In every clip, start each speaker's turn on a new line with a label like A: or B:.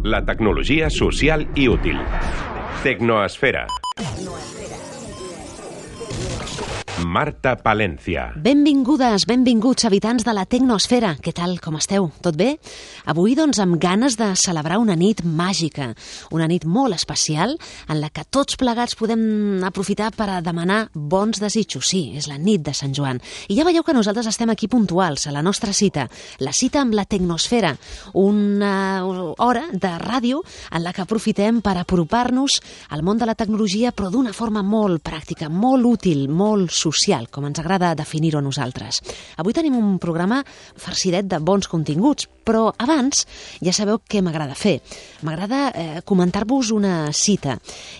A: La tecnologia social i útil. Tecnoesfera. Marta Palencia.
B: Benvingudes, benvinguts, habitants de la Tecnoesfera. Què tal, com esteu? Tot bé? Avui, doncs, amb ganes de celebrar una nit màgica, una nit molt especial, en la que tots plegats podem aprofitar per a demanar bons desitjos. Sí, és la nit de Sant Joan. I ja veieu que nosaltres estem aquí puntuals, a la nostra cita, la cita amb la Tecnoesfera, una hora de ràdio en la que aprofitem per apropar-nos al món de la tecnologia, però d'una forma molt pràctica, molt útil, molt social, com ens agrada definir-ho a nosaltres. Avui tenim un programa farcidet de bons continguts, però abans ja sabeu què m'agrada fer. M'agrada comentar-vos una cita.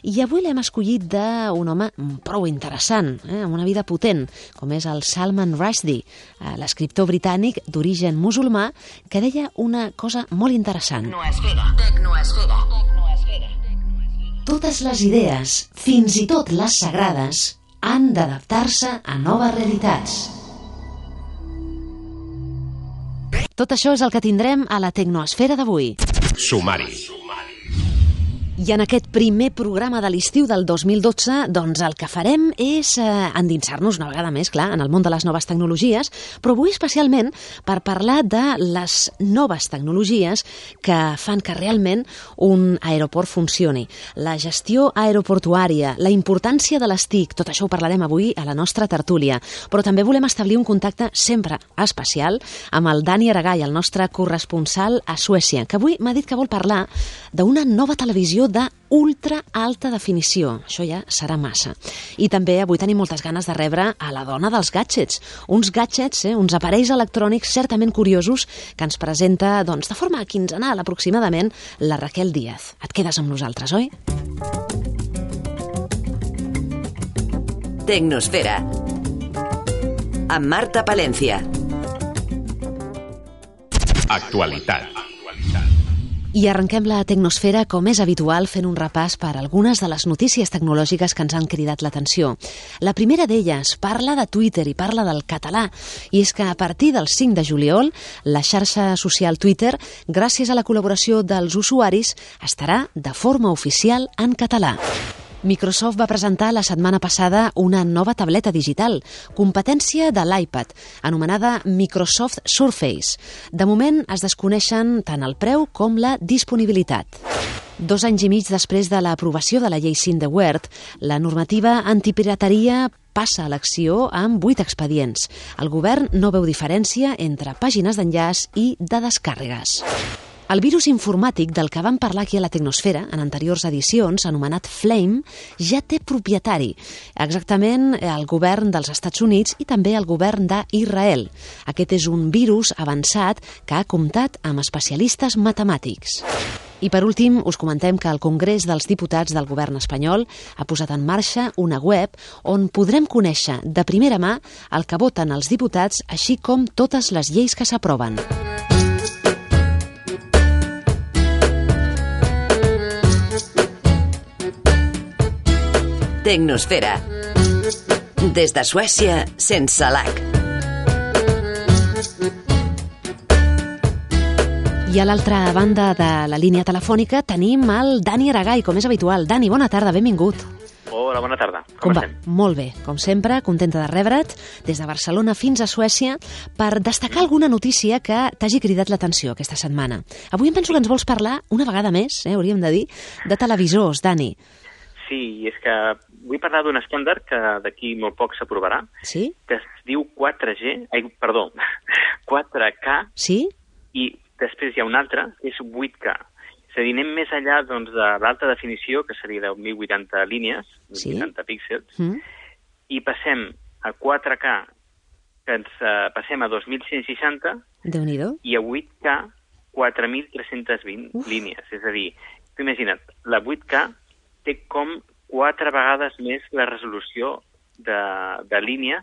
B: I avui l'hem escollit d'un home prou interessant, amb una vida potent, com és el Salman Rushdie, l'escriptor britànic d'origen musulmà, que deia una cosa molt interessant.
C: Tecnoesfera.
B: Totes les idees, fins i tot les sagrades, han d'adaptar-se a noves realitats. Tot això és el que tindrem a la Tecnoesfera d'avui.
A: Sumari.
B: I en aquest primer programa de l'estiu del 2012, doncs el que farem és endinsar-nos una vegada més, clar, en el món de les noves tecnologies, però avui especialment per parlar de les noves tecnologies que fan que realment un aeroport funcioni. La gestió aeroportuària, la importància de les TIC, tot això ho parlarem avui a la nostra tertúlia, però també volem establir un contacte sempre especial amb el Dani Aragay, el nostre corresponsal a Suècia, que avui m'ha dit que vol parlar d'una nova televisió de ultra alta definició. Això ja serà massa. I també avui tenim moltes ganes de rebre a la dona dels gadgets. Uns gadgets, uns aparells electrònics certament curiosos que ens presenta, doncs, de forma quinzenal aproximadament, la Raquel Díaz. Et quedes amb nosaltres, oi?
C: Tecnosfera. Amb Marta Palencia.
A: Actualitat.
B: I arrenquem la Tecnosfera, com és habitual, fent un repàs per algunes de les notícies tecnològiques que ens han cridat l'atenció. La primera d'elles parla de Twitter i parla del català, i és que a partir del 5 de juliol, la xarxa social Twitter, gràcies a la col·laboració dels usuaris, estarà de forma oficial en català. Microsoft va presentar la setmana passada una nova tableta digital, competència de l'iPad, anomenada Microsoft Surface. De moment es desconeixen tant el preu com la disponibilitat. 2 anys i mig després de l'aprovació de la llei Syndeware, la normativa antipirateria passa a l'acció amb 8 expedients. El govern no veu diferència entre pàgines d'enllaç i de descàrregues. El virus informàtic del que vam parlar aquí a la Tecnosfera en anteriors edicions, anomenat Flame, ja té propietari. Exactament el govern dels Estats Units i també el govern d'Israel. Aquest és un virus avançat que ha comptat amb especialistes matemàtics. I per últim, us comentem que el Congrés dels Diputats del govern espanyol ha posat en marxa una web on podrem conèixer de primera mà el que voten els diputats, així com totes les lleis que s'aproven.
C: Tecnosfera. Des de Suècia, sense lag.
B: I a l'altra banda de la línia telefònica tenim el Dani Aragay, com és habitual. Dani, bona tarda, benvingut.
D: Hola, bona tarda. Com estem?
B: Molt bé, com sempre, contenta de rebre't des de Barcelona fins a Suècia per destacar alguna notícia que t'hagi cridat l'atenció aquesta setmana. Avui em penso que ens vols parlar, una vegada més, hauríem de dir, de televisors, Dani.
D: Sí, és que vull parlar d'un estàndard que d'aquí molt poc s'aprovarà,
B: Sí?
D: que es diu 4K,
B: Sí?
D: i després hi ha un altre, que és 8K. És a dir, anem més enllà doncs, de l'alta definició, que seria de 1080 línies, 1080 píxels, i passem a 4K, que ens passem a 2160,
B: Déu-n'hi-do.
D: i a 8K, 4320 línies. És a dir, tu imagina't, la 8K té com 4 vegades més la resolució de línies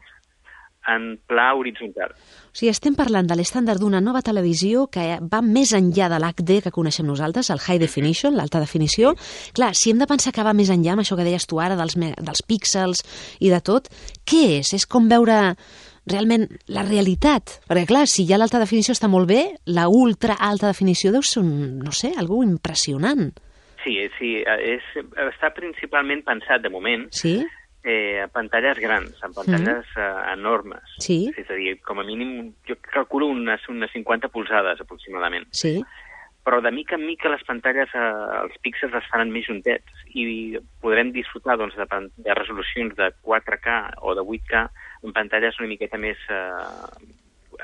D: en pla horitzontal.
B: O sigui, estem parlant de l'estàndard d'una nova televisió que va més enllà de l'HD que coneixem nosaltres, el High Definition, l'alta definició. Clar, si hem de pensar que va més enllà amb això que deies tu ara, dels píxels i de tot, què és? És com veure realment la realitat. Perquè, clar, si ja l'alta definició està molt bé, la ultra alta definició deu ser no sé, algú impressionant.
D: Sí, està principalment pensat, de moment, a pantalles grans, en pantalles enormes.
B: Sí.
D: És a dir, com a mínim, jo calculo unes 50 polzades, aproximadament.
B: Sí.
D: Però de mica en mica les pantalles, els píxels es faran més juntets i podrem disfrutar doncs, de resolucions de 4K o de 8K en pantalles una miqueta més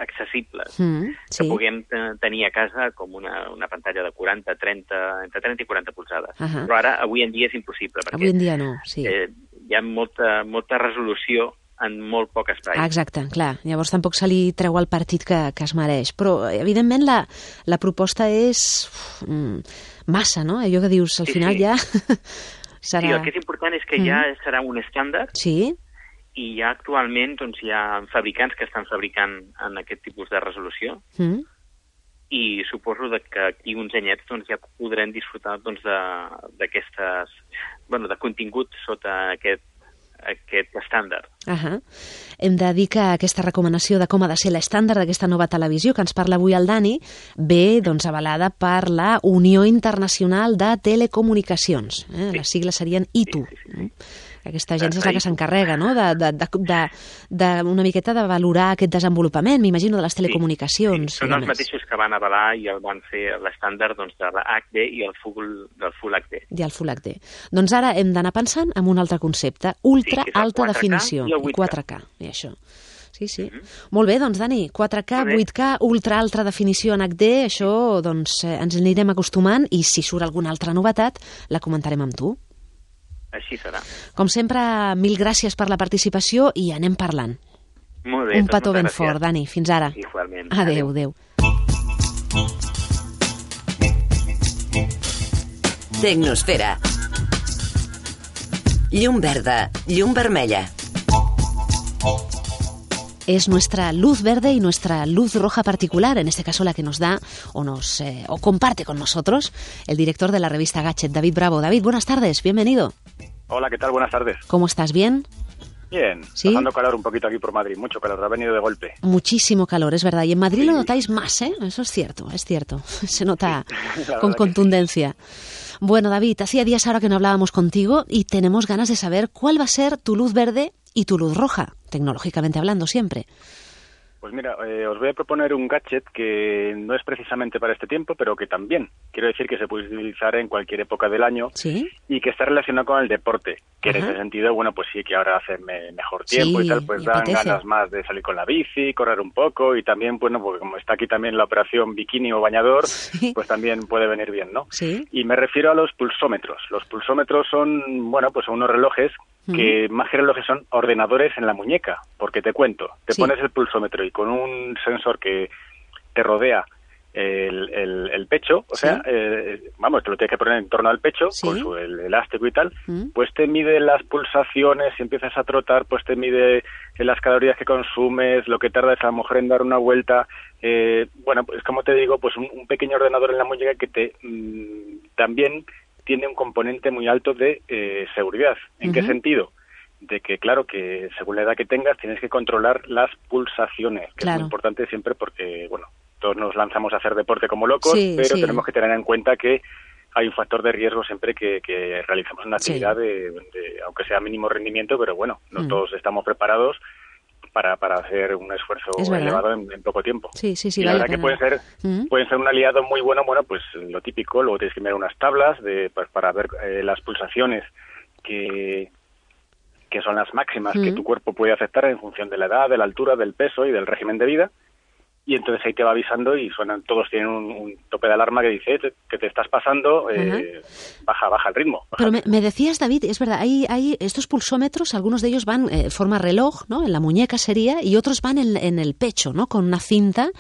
D: accessibles, que puguem tenir a casa com una pantalla de 40, 30, entre 30 i 40 polzades. Però ara, avui en dia, és impossible, perquè
B: avui en dia no, sí.
D: Hi ha molta resolució en molt poc espai.
B: Exacte, clar. Llavors tampoc se li treu el partit que es mereix. Però, evidentment, la proposta és massa, no? Allò que dius, al final ja serà...
D: Sí, el que és important és que ja serà un estàndard.
B: Sí.
D: I ja actualment doncs, hi ha fabricants que estan fabricant en aquest tipus de resolució. I suposo que aquí uns anyets doncs, ja podrem disfrutar doncs, d'aquestes... Bueno, de contingut sota aquest estàndard.
B: Hem de dir que aquesta recomanació de com ha de ser l'estàndard d'aquesta nova televisió que ens parla avui el Dani ve doncs, avalada per la Unió Internacional de Telecomunicacions. Les sigles serien ITU. Aquesta agència és la que s'encarrega, no?, una miqueta de valorar aquest desenvolupament, m'imagino, de les telecomunicacions.
D: Són els mateixos que van avalar i el van fer l'estàndard doncs, de l'HD i el Full HD.
B: I el Full HD. Doncs ara hem d'anar pensant en un altre concepte, ultra alta definició, i 4K, i això. Sí. Molt bé, doncs, Dani, 4K, 8K, ultra alta definició en HD, això doncs, ens anirem acostumant i si surt alguna altra novetat la comentarem amb tu.
D: Així serà.
B: Com sempre, mil gràcies per la participació i anem parlant.
D: Molt bé.
B: Un petó ben fort, Dani. Fins ara.
D: Igualment.
B: Adéu.
C: Tecnosfera. Llum verda, llum vermella.
B: Es nuestra luz verde y nuestra luz roja particular, en este caso la que nos da o comparte con nosotros el director de la revista Gadget, David Bravo. David, buenas tardes, bienvenido.
E: Hola, ¿qué tal? Buenas tardes.
B: ¿Cómo estás? ¿Bien?
E: Bien,
B: ¿Sí?
E: Pasando calor un poquito aquí por Madrid, mucho calor, ha venido de golpe.
B: Muchísimo calor, es verdad, y en Madrid lo notáis más, ¿eh? Eso es cierto, se nota con contundencia. Bueno, David, hacía días ahora que no hablábamos contigo y tenemos ganas de saber cuál va a ser tu luz verde y tu luz roja, tecnológicamente hablando siempre.
E: Pues mira, os voy a proponer un gadget que no es precisamente para este tiempo, pero que también, quiero decir que se puede utilizar en cualquier época del año.
B: ¿Sí?
E: Y que está relacionado con el deporte, que en ese sentido, bueno, pues sí que ahora hace mejor tiempo y tal, pues dan ganas más de salir con la bici, correr un poco y también, bueno, porque como está aquí también la operación bikini o bañador, pues también puede venir bien, ¿no?
B: Sí.
E: Y me refiero a los pulsómetros. Los pulsómetros son, bueno, pues son unos relojes que más que relojes son ordenadores en la muñeca, porque te cuento, te pones el pulsómetro y con un sensor que te rodea el pecho, o sea, vamos, te lo tienes que poner en torno al pecho con el elástico y tal, pues te mide las pulsaciones, si empiezas a trotar, pues te mide las calorías que consumes, lo que tarda esa mujer en dar una vuelta, bueno, pues como te digo, pues un pequeño ordenador en la muñeca que te también tiene un componente muy alto de seguridad. ¿En qué sentido? De que, claro, que según la edad que tengas tienes que controlar las pulsaciones, que es muy importante siempre porque, bueno, todos nos lanzamos a hacer deporte como locos, pero tenemos que tener en cuenta que hay un factor de riesgo siempre que realicemos una actividad de aunque sea mínimo rendimiento, pero bueno, no todos estamos preparados para hacer un esfuerzo elevado en poco tiempo.
B: Sí,
E: y la verdad que pueden ser un aliado muy bueno, pues lo típico, luego tienes que mirar unas tablas pues, para ver las pulsaciones que son las máximas que tu cuerpo puede aceptar en función de la edad, de la altura, del peso y del régimen de vida. Y entonces ahí te va avisando y todos tienen un tope de alarma que dice que te estás pasando, baja el ritmo.
B: Pero me decías, David, es verdad, hay estos pulsómetros, algunos de ellos van forma reloj, ¿no? En la muñeca sería, y otros van en el pecho, ¿no? Con una cinta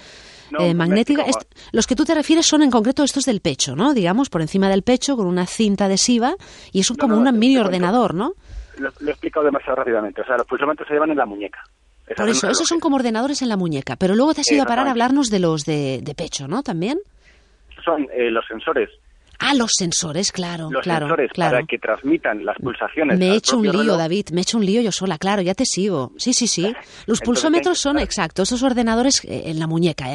B: magnética. Los que tú te refieres son en concreto estos del pecho, ¿no? Digamos, por encima del pecho, con una cinta adhesiva, y es como un mini ordenador, ¿no?
E: Lo he explicado demasiado rápidamente. O sea, los pulsómetros se llevan en la muñeca.
B: Por eso, esos son como ordenadores en la muñeca. Pero luego te has ido a parar a hablarnos de los de pecho, ¿no? ¿También?
E: Son los sensores.
B: Ah, los sensores, claro.
E: Los sensores para que transmitan las pulsaciones.
B: Me he hecho un lío, David, me he hecho un lío yo sola, claro, ya te sigo. Sí. Los pulsómetros son, exacto, esos ordenadores en la muñeca,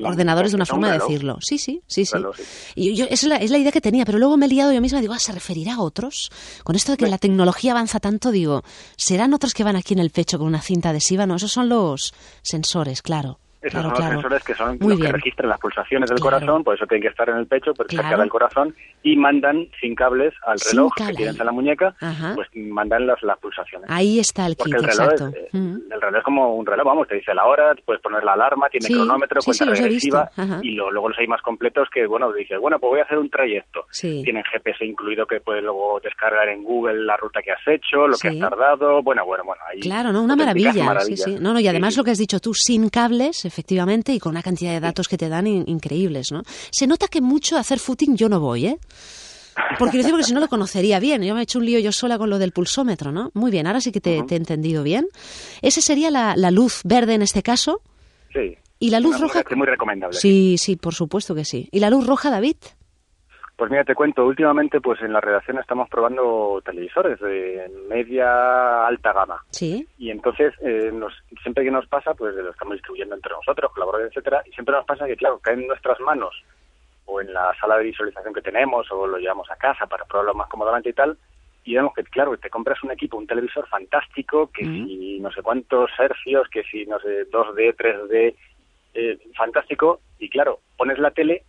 B: ordenadores de una forma de decirlo. Sí. Claro, sí. Y esa es la idea que tenía, pero luego me he liado yo misma, digo, ¿se referirá a otros? Con esto de que la tecnología avanza tanto, digo, ¿serán otros que van aquí en el pecho con una cinta adhesiva? No, esos son los sensores, claro.
E: Esos son los sensores que son los que registran las pulsaciones del corazón, por eso tienen que estar en el pecho, porque cerca del corazón, y mandan sin cables al reloj que tienes en la muñeca, pues mandan las pulsaciones.
B: Ahí está el kit, exacto.
E: El reloj es como un reloj, vamos, te dice la hora, puedes poner la alarma, tiene cronómetro, cuenta regresiva, y luego los hay más completos que, dices, pues voy a hacer un trayecto. Tienen GPS incluido que puedes luego descargar en Google la ruta que has hecho, lo que has tardado, ahí...
B: Claro, ¿no? Una maravilla. Sí. No, y además lo que has dicho tú, sin cables, efectivamente, y con una cantidad de datos que te dan increíbles, ¿no? Se nota que mucho a hacer footing yo no voy, porque si no lo conocería bien. Yo me he hecho un lío yo sola con lo del pulsómetro, ¿no? Muy bien, ahora sí que te he entendido bien. ¿Ese sería la luz verde en este caso?
E: Sí.
B: ¿Y la luz roja?
E: Es muy recomendable.
B: Sí, por supuesto que sí. ¿Y la luz roja, David?
E: Pues mira, te cuento, últimamente pues en la redacción estamos probando televisores de media alta gama.
B: Sí.
E: Y entonces, siempre que nos pasa, pues lo estamos distribuyendo entre nosotros, colaboradores, etcétera, y siempre nos pasa que, claro, caen en nuestras manos o en la sala de visualización que tenemos o lo llevamos a casa para probarlo más cómodamente y tal, y vemos que, claro, te compras un equipo, un televisor fantástico, que si no sé cuántos hercios, que si no sé, 2D, 3D, fantástico, y claro, pones la tele.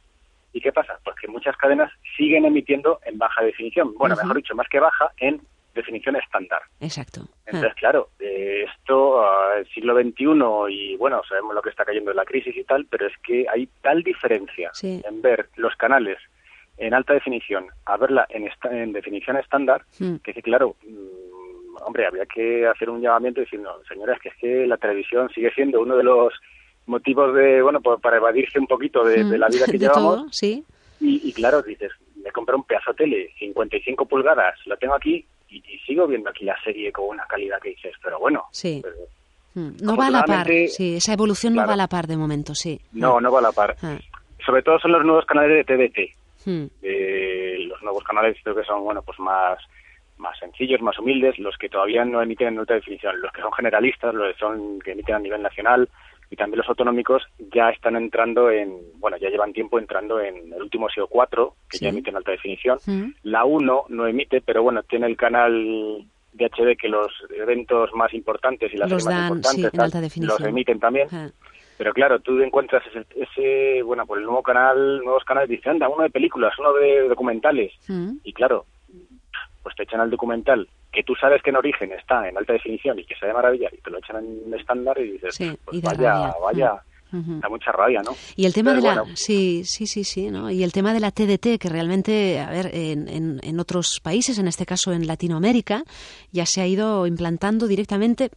E: ¿Y qué pasa? Pues que muchas cadenas siguen emitiendo en baja definición. Bueno, mejor dicho, más que baja, en definición estándar.
B: Exacto.
E: Entonces, claro, esto, el siglo XXI, y sabemos lo que está cayendo en la crisis y tal, pero es que hay tal diferencia en ver los canales en alta definición a verla en definición estándar, que claro, habría que hacer un llamamiento diciendo, señores, que es que la televisión sigue siendo uno de los motivos de, para evadirse un poquito de la vida que llevamos.
B: Todo, sí.
E: Y claro, dices, me compré un pedazo de tele, 55 pulgadas, lo tengo aquí y sigo viendo aquí la serie con una calidad que dices, pero bueno.
B: Sí. No va a la par, esa evolución no va a la par de momento, sí.
E: No va a la par. Sobre todo son los nuevos canales de TDT. Los nuevos canales creo que son, más sencillos, más humildes, los que todavía no emiten en alta definición, los que son generalistas, los que emiten a nivel nacional, y también los autonómicos ya están entrando ya llevan tiempo entrando en el último SEO 4, que ya emite en alta definición. La 1 no emite, pero tiene el canal de HD que los eventos más importantes y las series más importantes los emiten también. Pero claro, tú encuentras ese el nuevos canales, dicen, anda, uno de películas, uno de documentales. Y claro, pues te echan al documental que tú sabes que en origen está en alta definición y que se ve maravilla, y te lo echan en estándar y dices, pues vaya, da mucha rabia, ¿no?
B: Y el tema sí, ¿no? Y el tema de la TDT, que realmente, en otros países, en este caso en Latinoamérica, ya se ha ido implantando directamente.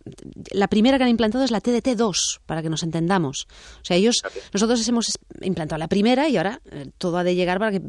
B: La primera que han implantado es la TDT 2, para que nos entendamos. O sea, nosotros hemos implantado la primera y ahora todo ha de llegar para que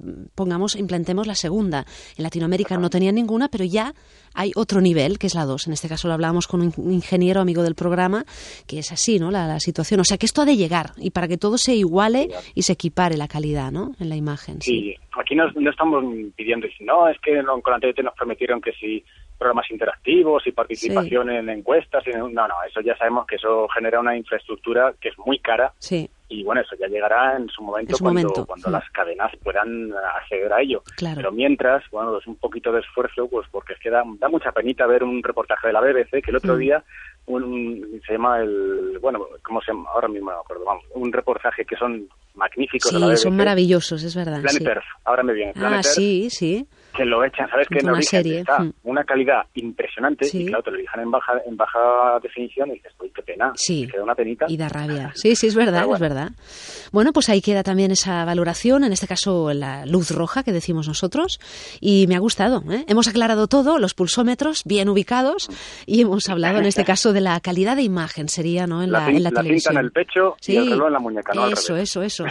B: implantemos la segunda. En Latinoamérica no tenían ninguna, pero ya hay otro nivel, que es la 2. En este caso lo hablábamos con un ingeniero amigo del programa, que es así, ¿no? La situación. O sea, que esto ha de llegar, y para que todo se iguale y se equipare la calidad, ¿no? En la imagen.
E: Sí, aquí no estamos pidiendo, no, es que con la TDT nos prometieron que si programas interactivos y participación en encuestas, no, eso ya sabemos que eso genera una infraestructura que es muy cara.
B: Sí.
E: Y eso ya llegará en su momento cuando las cadenas puedan acceder a ello.
B: Claro.
E: Pero mientras, es un poquito de esfuerzo, pues porque es que da mucha penita ver un reportaje de la BBC que el otro día se llama ¿cómo se llama? Ahora mismo no me acuerdo, un reportaje que son magníficos de la BBC.
B: Sí, son maravillosos, es verdad.
E: Planet Earth, ahora me viene. Planet Earth,
B: sí.
E: Que lo echan, ¿sabes? Que en origen está una calidad impresionante y claro, te lo dejan en baja definición y dices, uy, qué pena, te queda una penita.
B: Y da rabia. Sí, es verdad, es verdad. Bueno, pues ahí queda también esa valoración, en este caso la luz roja que decimos nosotros, y me ha gustado, ¿eh? Hemos aclarado todo, los pulsómetros bien ubicados, y hemos hablado en este caso de la calidad de imagen, sería, ¿no? En la televisión.
E: La cinta en el pecho y el reloj en la muñeca, ¿no?
B: Eso.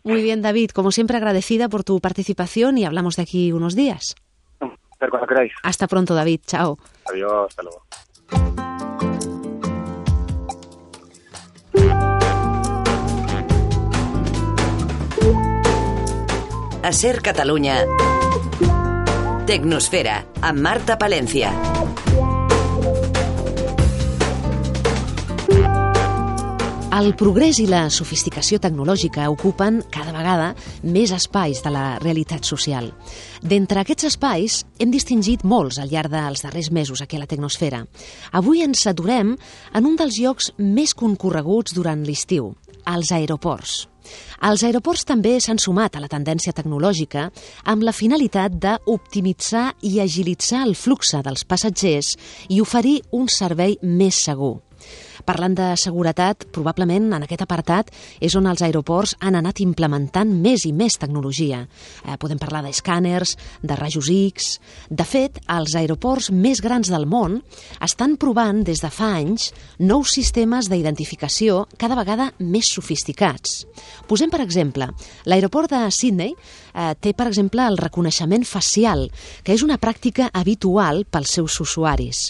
B: Muy bien, David, como siempre agradecida por tu participación y hablamos de aquí unos días.
E: Pero cuando queráis.
B: Hasta pronto, David. Chao.
E: Adiós, hasta luego.
C: A Ser Catalunya. Tecnosfera, amb Marta Palencia.
B: El progrés i la sofisticació tecnològica ocupen cada vegada més espais de la realitat social. D'entre aquests espais hem distingit molts al llarg dels darrers mesos aquí a la Tecnosfera. Avui ens aturem en un dels llocs més concorreguts durant l'estiu, els aeroports. Els aeroports també s'han sumat a la tendència tecnològica amb la finalitat d'optimitzar i agilitzar el flux dels passatgers i oferir un servei més segur. Parlant de seguretat, probablement en aquest apartat és on els aeroports han anat implementant més i més tecnologia. Podem parlar d'escàners, de rajos X... De fet, els aeroports més grans del món estan provant des de fa anys nous sistemes d'identificació cada vegada més sofisticats. Posem, per exemple, l'aeroport de Sydney té, per exemple, el reconeixement facial, que és una pràctica habitual pels seus usuaris.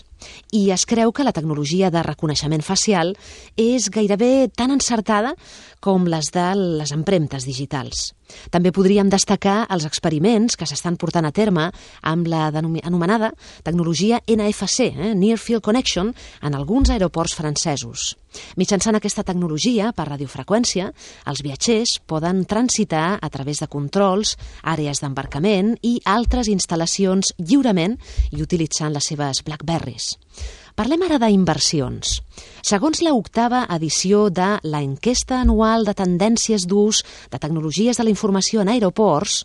B: I es creu que la tecnologia de reconeixement facial és gairebé tan encertada com les de les empremtes digitals. També podríem destacar els experiments que s'estan portant a terme amb la anomenada tecnologia NFC, Near Field Connection, en alguns aeroports francesos. Mitjançant aquesta tecnologia per radiofreqüència, els viatgers poden transitar a través de controls, àrees d'embarcament i altres instal·lacions lliurement i utilitzant les seves Blackberries. Parlem ara d'inversions. Segons la 8ª edició de l'enquesta anual de tendències d'ús de tecnologies de la informació en aeroports,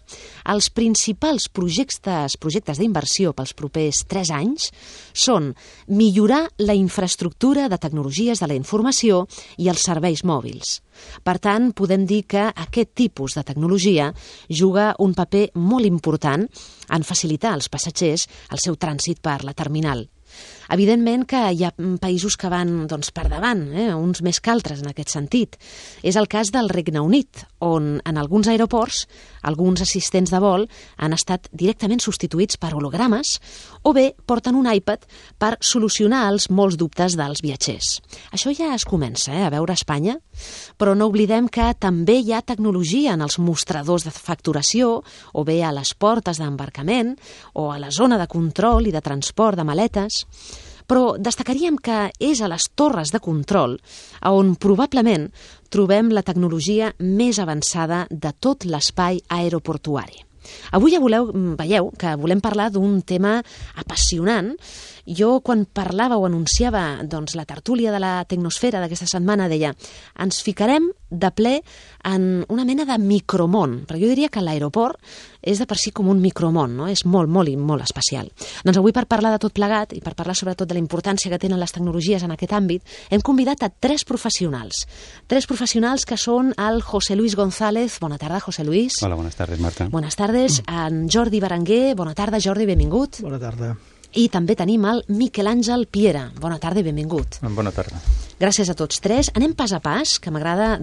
B: els principals projectes d'inversió pels propers 3 anys són millorar la infraestructura de tecnologies de la informació i els serveis mòbils. Per tant, podem dir que aquest tipus de tecnologia juga un paper molt important en facilitar als passatgers el seu trànsit per la terminal. Evidentment que hi ha països que van per davant, uns més que altres en aquest sentit. És el cas del Regne Unit, on en alguns aeroports alguns assistents de vol han estat directament substituïts per hologrames o bé porten un iPad per solucionar els molts dubtes dels viatgers. Això ja es comença a veure a Espanya, però no oblidem que també hi ha tecnologia en els mostradors de facturació o bé a les portes d'embarcament o a la zona de control i de transport de maletes. Però destacaríem que és a les torres de control on probablement trobem la tecnologia més avançada de tot l'espai aeroportuari. Avui ja veieu que volem parlar d'un tema apassionant. Jo, quan parlava o anunciava la tertúlia de la Tecnosfera d'aquesta setmana, deia ens ficarem de ple en una mena de micromón, però jo diria que l'aeroport és de per si com un micromón, no? És molt, molt i molt especial. Doncs avui, per parlar de tot plegat i per parlar sobretot de la importància que tenen les tecnologies en aquest àmbit, hem convidat a 3 professionals. 3 professionals que són el José Luis González. Bona tarda, José Luis.
F: Hola, buenas tardes, Marta.
B: Buenas tardes. En Jordi Berenguer. Bona tarda, Jordi, benvingut.
G: Bona tarda.
B: I també tenim el Miquel Àngel Piera. Bona tarda i benvingut.
F: Bona tarda.
B: Gràcies a tots 3. Anem pas a pas, que m'agrada,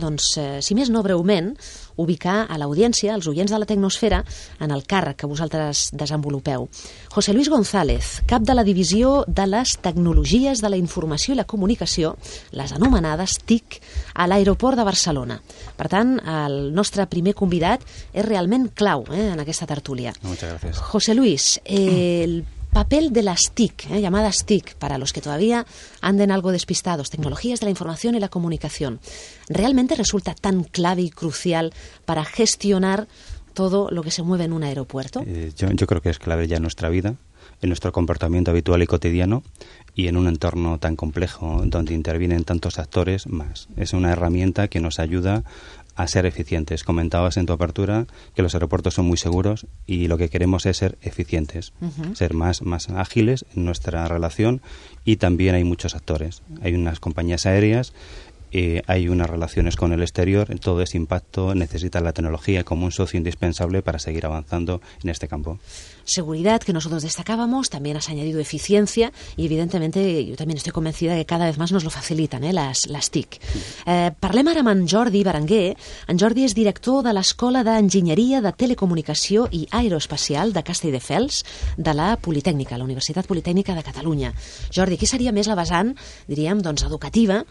B: si més no breument, ubicar a l'audiència, als oients de la Tecnosfera, en el càrrec que vosaltres desenvolupeu. José Luis González, cap de la divisió de les tecnologies de la informació i la comunicació, les anomenades TIC, a l'aeroport de Barcelona. Per tant, el nostre primer convidat és realment clau en aquesta tertúlia.
F: Muchas gracias.
B: José Luis, el papel de las TIC, llamadas TIC, para los que todavía anden algo despistados, tecnologías de la información y la comunicación, ¿realmente resulta tan clave y crucial para gestionar todo lo que se mueve en un aeropuerto?
F: Yo creo que es clave ya en nuestra vida, en nuestro comportamiento habitual y cotidiano y en un entorno tan complejo donde intervienen tantos actores más. Es una herramienta que nos ayuda a ser eficientes. Comentabas en tu apertura que los aeropuertos son muy seguros y lo que queremos es ser eficientes, ser más ágiles en nuestra relación, y también hay muchos actores. Hay unas compañías aéreas, hay unas relaciones con el exterior, todo ese impacto necesita la tecnología como un socio indispensable para seguir avanzando en este campo.
B: Seguridad, que nosotros destacábamos, también has añadido eficiencia y evidentemente yo también estoy convencida que cada vez más nos lo facilitan las TIC. Parlem ara amb en Jordi Berenguer. En Jordi és director de l'Escola d'Enginyeria de Telecomunicació i Aeroespacial de Castelldefels de la Politècnica, la Universitat Politècnica de Catalunya. Jordi, aquí seria més la vessant, diríem, educativa,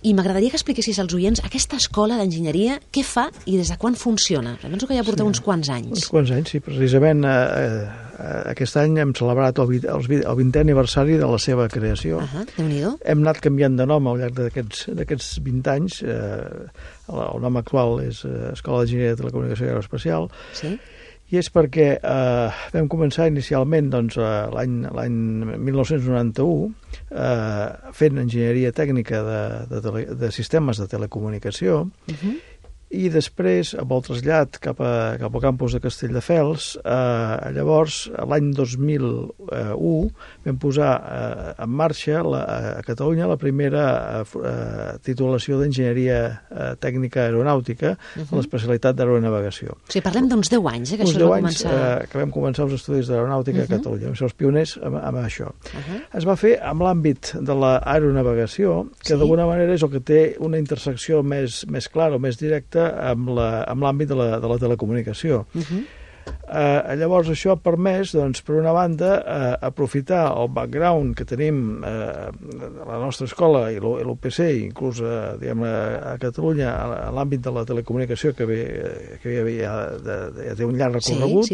B: I m'agradaria que expliquessis als oients aquesta escola d'enginyeria, què fa i des de quan funciona. Penso que ja porta uns quants anys.
G: Uns quants anys, sí. Precisament aquest any hem celebrat el 20è aniversari de la seva creació.
B: Déu-n'hi-do.
G: Hem anat canviant de nom al llarg d'aquests 20 anys. El nom actual és Escola d'Enginyeria de Telecomunicació i Aeroespacial.
B: Sí.
G: I és perquè vam començar inicialment l'any 1991 fent enginyeria tècnica de sistemes de telecomunicació i després, amb el trasllat cap al campus de Castelldefels, llavors, l'any 2001, vam posar en marxa a Catalunya la primera titulació d'enginyeria tècnica aeronàutica amb l'especialitat d'aeronavegació.
B: O sigui, parlem d'uns 10 anys, que això va començar...
G: que vam començar els estudis d'aeronàutica a Catalunya. Vam ser els pioners amb això. Es va fer amb l'àmbit de l'aeronavegació, que d'alguna manera és el que té una intersecció més clara o més directa amb l'àmbit de la telecomunicació. Llavors això ha permès, per una banda, aprofitar el background que tenim a la nostra escola i l'UPC, inclús a Catalunya, a l'àmbit de la telecomunicació que ja té un llarg recorregut,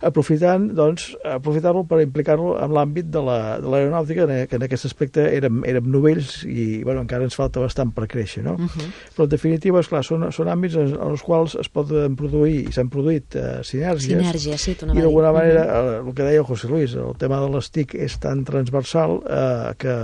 G: aprofitar-lo per implicar-lo en l'àmbit de l'aeronàutica, que en aquest aspecte érem novells i encara ens falta bastant per créixer, no? Però en definitiva, esclar, són àmbits en els quals es poden produir i s'han produït sinergies, i d'alguna manera, el que deia José Luis, el tema de les TIC és tan transversal que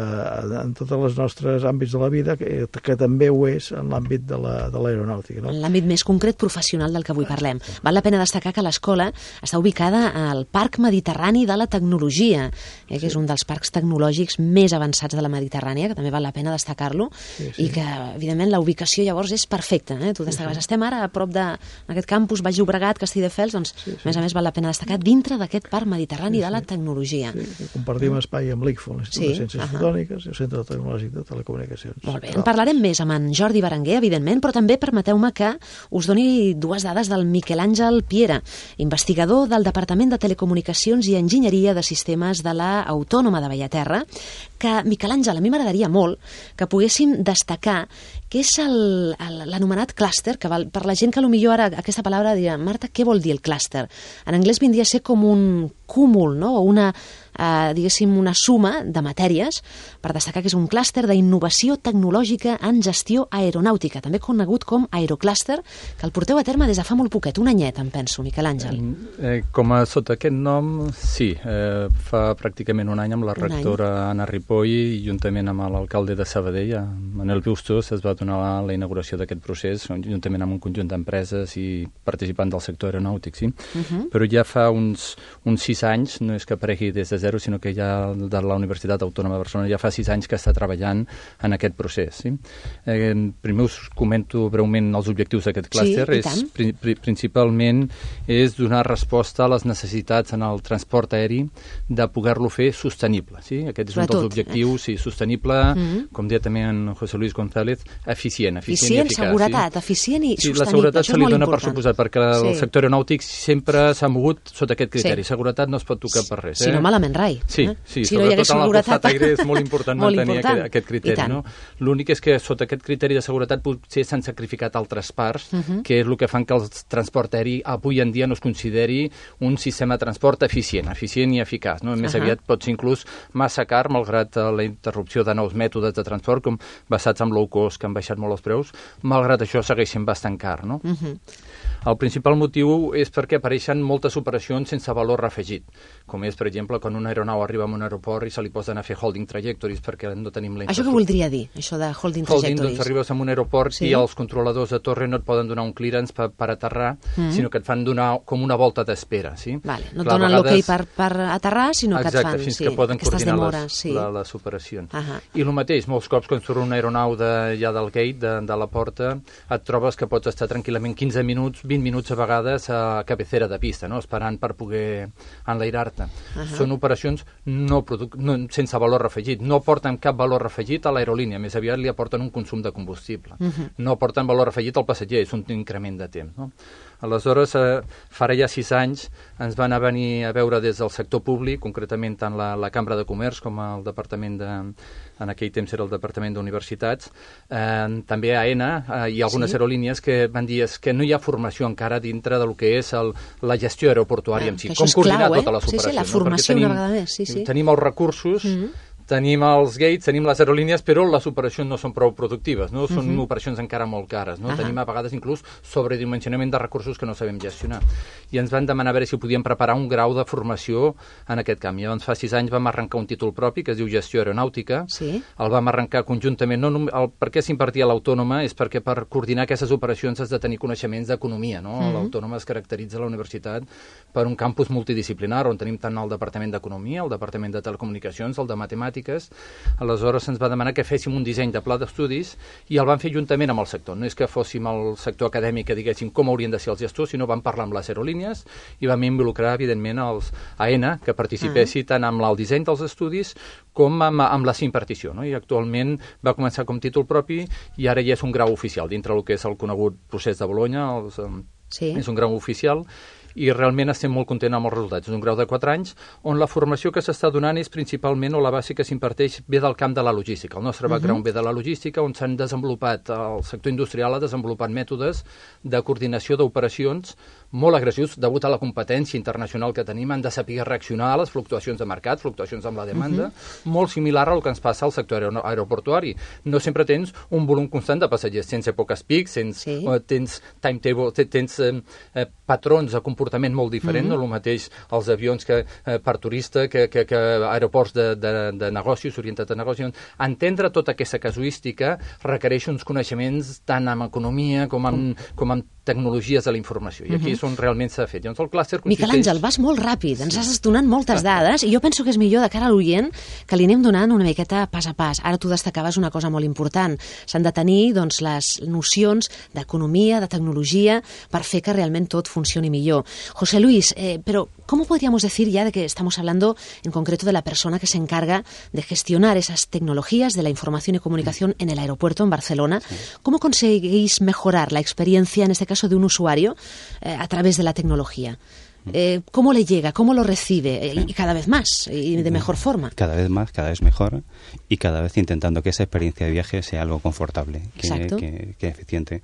G: en tots els nostres àmbits de la vida, que també ho és en l'àmbit de l'aeronàutica.
B: En l'àmbit més concret professional del que avui parlem. Val la pena destacar que l'escola està ubicada al Parc Mediterrani de la Tecnologia, que és un dels parcs tecnològics més avançats de la Mediterrània, que també val la pena destacar-lo, i que, evidentment, la ubicació llavors és perfecta. Tu destacaves, estem ara a prop d'aquest campus, Baix Llobregat, Castelldefels, doncs, a més a més, val la pena destacar dintre d'aquest Parc Mediterrani de la Tecnologia.
G: Compartim espai amb l'ICFO, l'Institut de Ciències Fotòniques i el Centre Tecnològic de Telecomunicacions.
B: Molt bé, en parlarem més amb en Jordi Berenguer, evidentment, però també permeteu-me que us doni dues dades del Miquel Àngel Piera, investigador del Departament de Telecomunicacions i Enginyeria de Sistemes de la Autònoma de Bellaterra, que, Miquel Àngel, a mi m'agradaria molt que poguéssim destacar que és l'anomenat clúster, que per la gent que potser ara aquesta paraula dirà, Marta, què vol dir el clúster? En anglès vindria a ser com un cúmul, no? O una suma de matèries, per destacar que és un clúster d'innovació tecnològica en gestió aeronàutica, també conegut com aeroclúster, que el porteu a terme des de fa molt poquet, un anyet, em penso, Miquel Àngel.
H: Sota aquest nom, sí, fa pràcticament un any amb la rectora Anna Ripoll i juntament amb l'alcalde de Sabadell, Manel Bustos, es va donar la inauguració d'aquest procés, juntament amb un conjunt d'empreses i participants del sector aeronàutic, sí. Però ja fa uns 6 anys, no és que aparegui des de zero, sinó que ja de la Universitat Autònoma de Barcelona ja fa 6 anys que està treballant en aquest procés. Sí? Primer us comento breument els objectius d'aquest clúster. Principalment és donar resposta a les necessitats en el transport aeri de poder-lo fer sostenible. Sí? Aquest és un dels objectius, sostenible, com deia també en José Luis González, eficient i eficaç.
B: Seguretat, eficient i sostenible.
H: La seguretat se li dona per suposat, perquè el sector aeronàutic sempre s'ha mogut sota aquest criteri. Seguretat no es pot tocar per res.
B: Si no, malament rai.
H: Sí, sobretot en el costat aire és molt important mantenir aquest criteri. No? L'únic és que sota aquest criteri de seguretat potser s'han sacrificat altres parts, que és el que fan que el transport aeri avui en dia no es consideri un sistema de transport eficient i eficaç. No? Més aviat pot ser inclús massa car, malgrat la interrupció de nous mètodes de transport, com basats en low cost, que han baixat molt els preus, malgrat això segueix sent bastant car. No? El principal motiu és perquè apareixen moltes operacions sense valor afegit, com és, per exemple, quan una aeronau arriba a un aeroport i se li posen a fer holding trajectories perquè no tenim la infraestructura.
B: Això què voldria dir, això de holding trajectories?
H: Doncs arribes a un aeroport i els controladors de torre no et poden donar un clearance per aterrar, sinó que et fan donar com una volta d'espera. Sí?
B: No et donen l'ok per aterrar, sinó que et fan
H: fins que poden coordinar les operacions. I el mateix, molts cops quan surt una aeronau ja del gate, de la porta, et trobes que pots estar tranquil·lament 15 minuts, 20 minuts a vegades a cabecera de pista, esperant per poder enlairar-te. Són operacions sense valor afegit. No aporten cap valor afegit a l'aerolínia, més aviat li aporten un consum de combustible. No aporten valor afegit al passatger, és un increment de temps. Aleshores, farà ja 6 anys, ens van venir a veure des del sector públic, concretament tant la Cambra de Comerç com el Departament en aquell temps era el Departament d'Universitats, també AENA i algunes aerolínies que van dir que no hi ha formació encara dintre del que és la gestió aeroportuària en si. Com coordinar totes les operacions.
B: Sí, la formació una vegada més.
H: Tenim els recursos, tenim els gates, tenim les aerolínies, però les operacions no són prou productives, no? Són operacions encara molt cares, no? Tenim a vegades inclús sobredimensionament de recursos que no sabem gestionar. I ens van demanar a veure si podíem preparar un grau de formació en aquest camp. Llavors, fa 6 anys vam arrencar un títol propi que es diu Gestió Aeronàutica. El vam arrencar conjuntament. Per què s'impartia l'Autònoma? És perquè per coordinar aquestes operacions has de tenir coneixements d'economia, no? L'Autònoma es caracteritza a la universitat per un campus multidisciplinar on tenim tant el Departament d'Economia, el Departament de Telecomunicacions, el de Matemàtiques. Aleshores se'ns va demanar que féssim un disseny de pla d'estudis i el vam fer juntament amb el sector. No és que fóssim el sector acadèmic que diguéssim com haurien de ser els gestors, sinó vam parlar amb les aerolínies i vam involucrar, evidentment, els AENA, que participessin tant amb el disseny dels estudis com amb la impartició. No? I actualment va començar com títol propi i ara ja és un grau oficial, dintre del que és el conegut procés de Bolonya, és un grau oficial, i realment estem molt contents amb els resultats. És un grau de 4 anys on la formació que s'està donant és principalment, o la base que s'imparteix, ve del camp de la logística. El nostre background ve de la logística, on s'han desenvolupat, el sector industrial ha desenvolupat mètodes de coordinació d'operacions molt agressius, degut a la competència internacional que tenim, han de saber reaccionar a les fluctuacions de mercat, fluctuacions amb la demanda, molt similar al que ens passa al sector aeroportuari. No sempre tens un volum constant de passatgers, tens èpoques pics, tens timetable, tens patrons de comportament molt diferent, no el mateix els avions que per turista, que aeroports de negocis, orientats a negocis. Entendre tota aquesta casuística requereix uns coneixements tant en economia com en tecnologies de la informació. I aquí és on realment s'ha fet. Llavors, el clúster consisteix...
B: Miquel Àngel, vas molt ràpid, ens has donat moltes dades i jo penso que és millor de cara a l'oient que li anem donant una miqueta pas a pas. Ara tu destacaves una cosa molt important. S'han de tenir les nocions d'economia, de tecnologia, per fer que realment tot funcioni millor. José Luis, pero ¿cómo podríamos decir ya de que estamos hablando en concreto de la persona que se encarga de gestionar esas tecnologías de la información y comunicación en el aeropuerto en Barcelona? ¿Cómo conseguís mejorar la experiencia, en este caso de un usuario, a través de la tecnología? ¿Cómo le llega? ¿Cómo lo recibe? Y cada vez más, y de mejor forma.
F: Cada vez más, cada vez mejor, y cada vez intentando que esa experiencia de viaje sea algo confortable, que eficiente.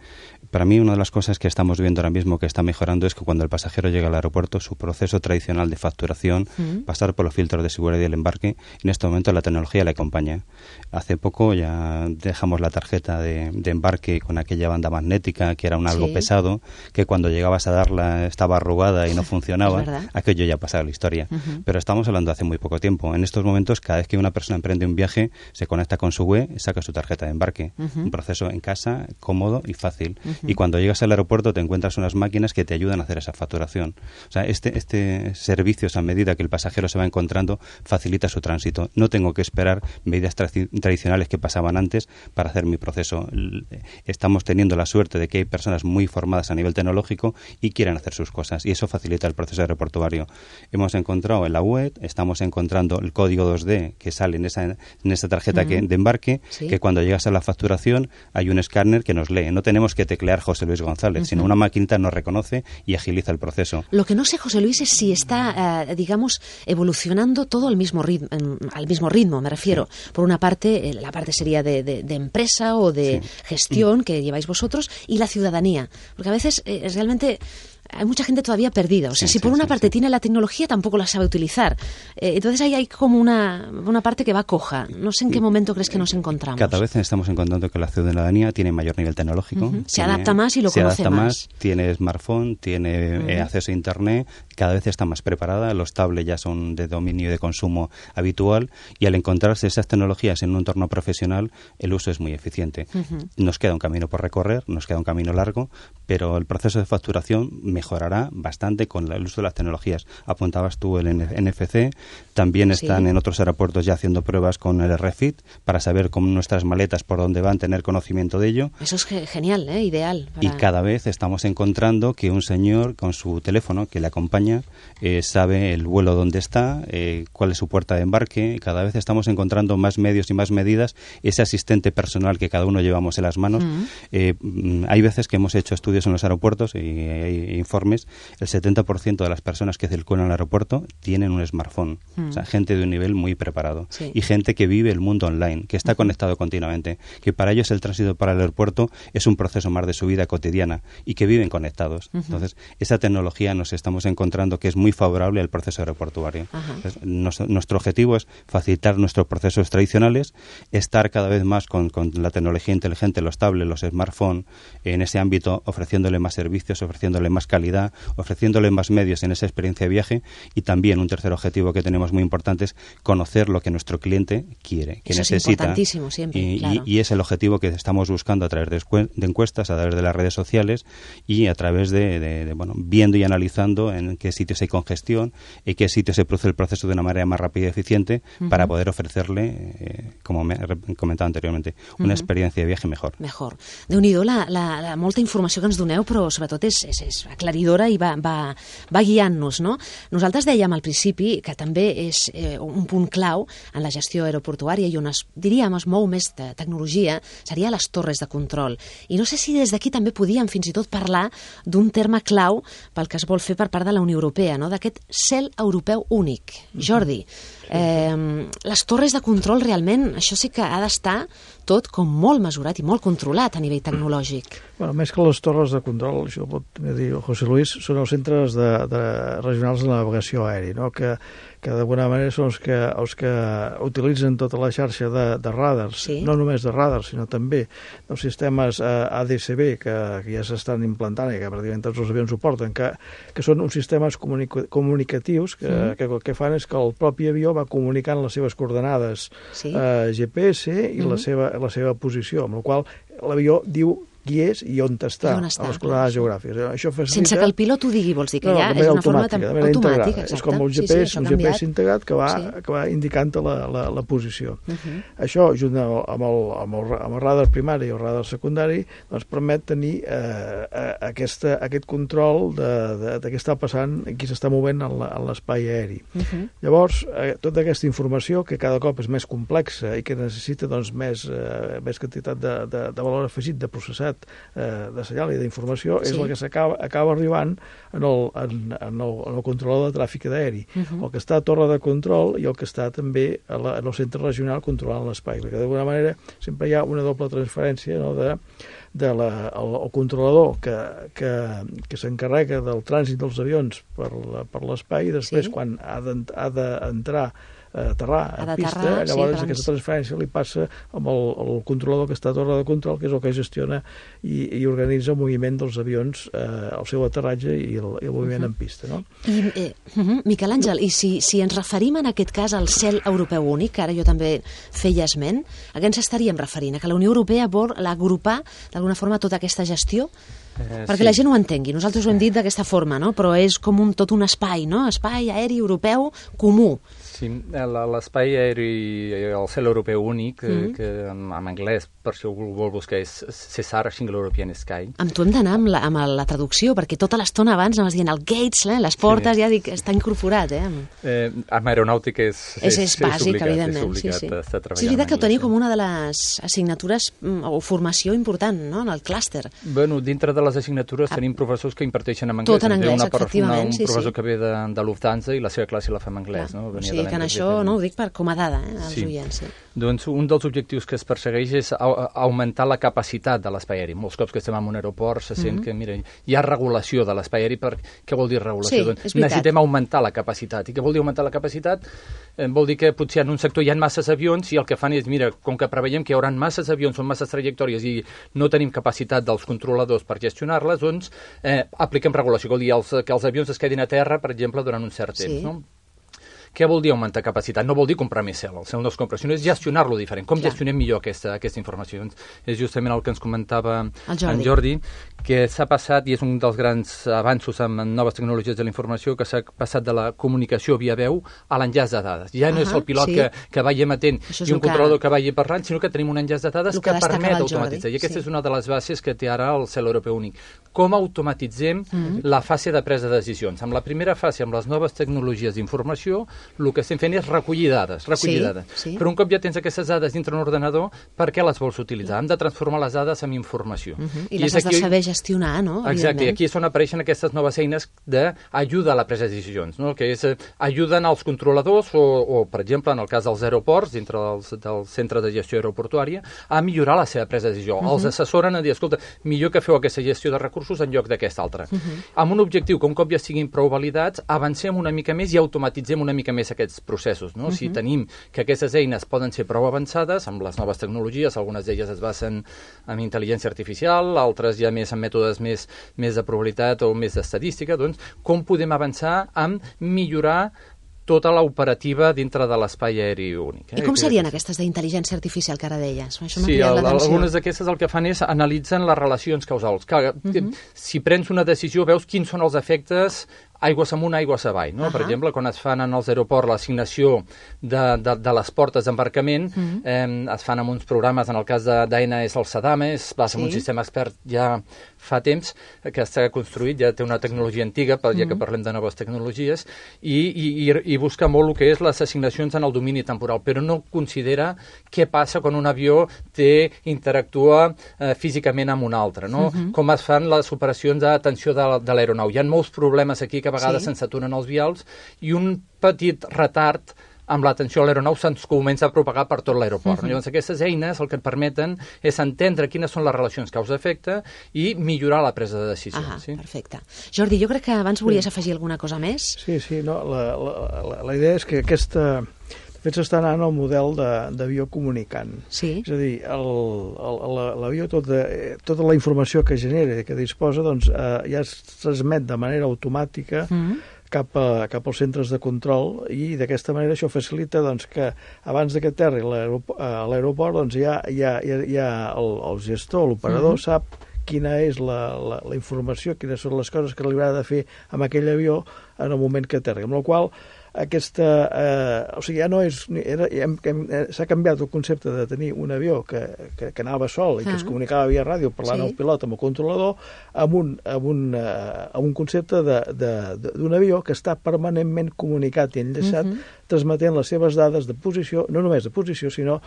F: Para mí, una de las cosas que estamos viendo ahora mismo que está mejorando es que cuando el pasajero llega al aeropuerto, su proceso tradicional de facturación, pasar por los filtros de seguridad y el embarque, en este momento la tecnología le acompaña. Hace poco ya dejamos la tarjeta de embarque con aquella banda magnética, que era algo pesado, que cuando llegabas a darla estaba arrugada y no funcionaba. Aquello ya ha pasado la historia. Pero estamos hablando de hace muy poco tiempo. En estos momentos, cada vez que una persona emprende un viaje, se conecta con su web y saca su tarjeta de embarque. Un proceso en casa, cómodo y fácil. Y cuando llegas al aeropuerto te encuentras unas máquinas que te ayudan a hacer esa facturación. O sea, este servicio, a medida que el pasajero se va encontrando, facilita su tránsito. No tengo que esperar medidas tradicionales que pasaban antes para hacer mi proceso. Estamos teniendo la suerte de que hay personas muy formadas a nivel tecnológico y quieren hacer sus cosas, y eso facilita el proceso aeroportuario. Hemos encontrado en la web, estamos encontrando el código 2D que sale en esa tarjeta de embarque, que cuando llegas a la facturación hay un escáner que nos lee. No tenemos que teclear José Luis González, sino una maquinita nos reconoce y agiliza el proceso.
B: Lo que no sé, José Luis, es si está, digamos, evolucionando todo al mismo ritmo, me refiero. Por una parte, la parte sería de empresa o de gestión que lleváis vosotros, y la ciudadanía. Porque a veces realmente hay mucha gente todavía perdida. O sea, si por una parte tiene la tecnología, tampoco la sabe utilizar. Entonces ahí hay como una parte que va coja. No sé en qué momento crees que nos encontramos.
F: Cada vez estamos encontrando que la ciudadanía tiene mayor nivel tecnológico.
B: Se adapta más y lo conoce más.
F: Tiene smartphone, tiene acceso a Internet, cada vez está más preparada. Los tablets ya son de dominio y de consumo habitual, y al encontrarse esas tecnologías en un entorno profesional, el uso es muy eficiente. Nos queda un camino por recorrer, nos queda un camino largo, pero el proceso de facturación mejorará bastante con el uso de las tecnologías. Apuntabas tú el NFC, también están en otros aeropuertos ya haciendo pruebas con el RFID para saber cómo nuestras maletas por dónde van, tener conocimiento de ello.
B: Eso es genial, ideal.
F: Y cada vez estamos encontrando que un señor con su teléfono que le acompaña sabe el vuelo dónde está, cuál es su puerta de embarque. Cada vez estamos encontrando más medios y más medidas, ese asistente personal que cada uno llevamos en las manos. Hay veces que hemos hecho estudios en los aeropuertos y hay informes, el 70% de las personas que circulan al aeropuerto tienen un smartphone. O sea, gente de un nivel muy preparado.
B: Sí.
F: Y gente que vive el mundo online, que está conectado continuamente, que para ellos el tránsito para el aeropuerto es un proceso más de su vida cotidiana y que viven conectados. Entonces, esa tecnología nos estamos encontrando que es muy favorable al proceso aeroportuario. Entonces, nuestro objetivo es facilitar nuestros procesos tradicionales, estar cada vez más con la tecnología inteligente, los tablets, los smartphones, en ese ámbito, ofreciéndole más servicios, ofreciéndole más calidad, ofreciéndole más medios en esa experiencia de viaje, y también un tercer objetivo que tenemos muy importante es conocer lo que nuestro cliente quiere, que
B: eso
F: necesita.
B: Es importantísimo siempre, claro.
F: Y es el objetivo que estamos buscando a través de encuestas, a través de las redes sociales y a través de viendo y analizando en qué sitios hay congestión, en qué sitios se produce el proceso de una manera más rápida y eficiente para poder ofrecerle, como me he comentado anteriormente, una experiencia de viaje mejor.
B: Déu-n'hi-do la molta informació que ens doneu, però sobretot és aclaridora i va guiant-nos, no? Nosaltres dèiem al principi que també és un punt clau en la gestió aeroportuària i on diríem es mou més de tecnologia seria les torres de control. I no sé si des d'aquí també podíem fins i tot parlar d'un terme clau pel que es vol fer per part de la Unió Europea, no? D'aquest cel europeu únic. Jordi, les torres de control realment, això sí que ha d'estar tot com molt mesurat i molt controlat a nivell tecnològic.
G: Bueno, més que les torres de control, això ho pot també dir el José Luis, són els centres regionals de navegació aèria, no? que d'alguna manera són els que utilitzen tota la xarxa de radars, no només de radars, sinó també dels sistemes ADS-B que ja s'estan implantant i que pràcticament tots els avions ho porten, que són uns sistemes comunicatius que el que fan és que el propi avió va comunicant les seves coordenades GPS i la seva posició, amb la qual l'avió diu qui és i on està, a les coordenades geogràfiques. Això facilita...
B: Sense que el pilot ho digui, vols dir que ja és una forma automàtica.
G: És com el GPS integrat que va indicant la posició. Això, junt amb el radar primari i el radar secundari, doncs permet tenir aquest control de què està passant i qui s'està movent en l'espai aeri. Llavors, tota aquesta informació, que cada cop és més complexa i que necessita més quantitat de valor afegit, de processat, de senyal i d'informació, és el que acaba arribant en el controlador de tràfic aeri, el que està a torre de control i el que està també en el centre regional controlant l'espai, perquè d'alguna manera sempre hi ha una doble transferència, no, del controlador que s'encarrega del trànsit dels avions per l'espai, i després quan ha d'entrar aterrar a pista, llavors aquesta transferència li passa amb el controlador que està a torre de control, que és el que gestiona i organitza el moviment dels avions, el seu aterratge i el moviment en pista, no?
B: Miquel Àngel, i si ens referim en aquest cas al cel europeu únic, que ara jo també feia esment, a què ens estaríem referint? A que la Unió Europea vol agrupar d'alguna forma tota aquesta gestió? Perquè la gent ho entengui, nosaltres ho hem dit d'aquesta forma, no? Però és com tot un espai, no? Espai aeri europeu comú.
H: Sí, l'espai aeri, el cel europeu únic, que en anglès, per si algú vol buscar, és CESAR, Single European Sky.
B: Amb tu hem d'anar amb la traducció, perquè tota l'estona abans anaves dient el gates, les portes, ja dic, està incorporat,
H: Amb aeronàutica
B: és bàsic, evidentment. Sí, és veritat que ho teniu com una de les assignatures o formació important, no?, en el clúster.
H: Bueno, dintre de les assignatures tenim professors que imparteixen en anglès.
B: Tot en anglès, efectivament.
H: Un professor que ve de Lufthansa i la seva classe la fa en anglès, no?
B: O sigui que en això, no ho dic com a dada, als oients.
H: Doncs un dels objectius que es persegueix és augmentar la capacitat de l'espai aeri. Molts cops que estem en un aeroport se sent que, mira, hi ha regulació de l'espai aeri. Què vol dir regulació?
B: Doncs
H: necessitem augmentar la capacitat. I què vol dir augmentar la capacitat? Vol dir que potser en un sector hi ha masses avions i el que fan és, mira, com que preveiem que hi haurà masses avions, són masses trajectòries i no tenim capacitat dels controladors per gestionar-les, doncs apliquem regulació. Vol dir que els avions es quedin a terra, per exemple, durant un cert temps, no? Què vol dir augmentar capacitat? No vol dir comprar més cel, el cel no es compra, sinó és gestionar-lo diferent. Com gestionem millor aquesta informació? És justament el que ens comentava en Jordi, que s'ha passat, i és un dels grans avanços en noves tecnologies de la informació, que s'ha passat de la comunicació via veu a l'enllaç de dades. Ja no és el pilot que vagi emetent i un controlador que vagi parlant, sinó que tenim un enllaç de dades que permet automatitzar. I aquesta és una de les bases que té ara el cel europeu únic. Com automatitzem la fase de presa de decisions? Amb la primera fase, amb les noves tecnologies d'informació, el que estem fent és recollir dades. Però un cop ja tens aquestes dades dintre un ordenador, per què les vols utilitzar? Hem de transformar les dades en informació.
B: I les has de saber gestionar, no?
H: Exacte, i aquí és on apareixen aquestes noves eines d'ajuda a la presa de decisions, no? Que ajuden als controladors o, per exemple, en el cas dels aeroports, dintre del centre de gestió aeroportuària, a millorar la seva presa de decisió. Els assessoren a dir, escolta, millor que feu aquesta gestió de recursos en lloc d'aquesta altra. Amb un objectiu que un cop ja siguin prou validats, avancem una mica més i automatitzem una mica més aquests processos, no? Si tenim que aquestes eines poden ser prou avançades amb les noves tecnologies, algunes d'elles es basen en intel·ligència artificial, altres ja més en mètodes més de probabilitat o més d'estadística, doncs com podem avançar en millorar tota l'operativa dintre de l'espai aeri únic.
B: I com serien aquestes d'intel·ligència artificial que ara deies?
H: Sí, algunes d'aquestes el que fan és analitzen les relacions causals. Si prens una decisió, veus quins són els efectes aigües amunt, aigües avall. No? Per exemple, quan es fan en els aeroports l'assignació de les portes d'embarcament, es fan amb uns programes, en el cas d'AENA és el SADAME, es basa en un sistema expert ja fa temps que està construït, ja té una tecnologia antiga, ja que parlem de noves tecnologies, i busca molt el que és les assignacions en el domini temporal, però no considera què passa quan un avió interactua físicament amb un altre, no? Com es fan les operacions d'atenció de l'aeronau. Hi ha molts problemes aquí que a vegades se'ns aturen els vials i un petit retard amb l'atenció a l'aeronau se'ns comença a propagar per tot l'aeroport. Llavors, aquestes eines el que et permeten és entendre quines són les relacions causa-efecte i millorar la presa de decisions.
B: Perfecte. Jordi, jo crec que abans volies afegir alguna cosa més.
G: Sí, no, la idea és que aquesta... De fet, s'està anant al model d'avió comunicant.
B: Sí.
G: És a dir, l'avió, tota la informació que genera i que disposa, doncs, ja es transmet de manera automàtica cap als centres de control i d'aquesta manera això facilita doncs, que abans que aterri a l'aeroport doncs, ja el gestor, l'operador sap quina és la informació, quines són les coses que li haurà de fer amb aquell avió en el moment que aterri. Amb la qual o sigui, ja no és... S'ha canviat el concepte de tenir un avió que anava sol i que es comunicava via ràdio parlant al pilot amb el controlador amb un concepte d'un avió que està permanentment comunicat i enllaçat transmetent les seves dades de posició, no només de posició, sinó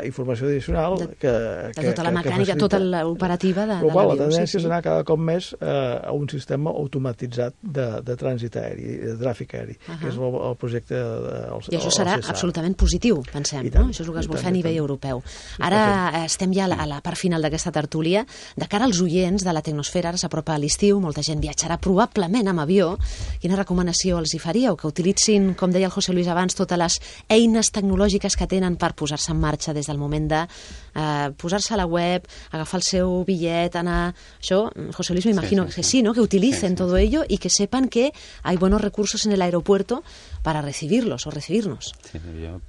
G: informació addicional
B: de tota la mecànica, tota l'operativa de l'avió.
G: La tendència és anar cada cop més a un sistema automatitzat de trànsit aeri, de tràfic aeri, que és el projecte
B: I això serà absolutament positiu, pensem, no? Això és el que es vol fer a nivell europeu. Ara estem ja a la part final d'aquesta tertúlia. De cara als oients de la Tecnosfera, ara s'apropa a l'estiu, molta gent viatjarà probablement amb avió. Quina recomanació els hi faríeu? Que utilitzin, com deia el José Luis abans, totes les eines tecnològiques que tenen per posar-se en marxa des del moment de posar-se a la web, agafar el seu bitllet, anar... Això, José Luis, me imagino que sí, ¿no? Que utilicen todo ello y que sepan que hay buenos recursos en el aeropuerto para recibirlos o recibirnos.
F: Sí,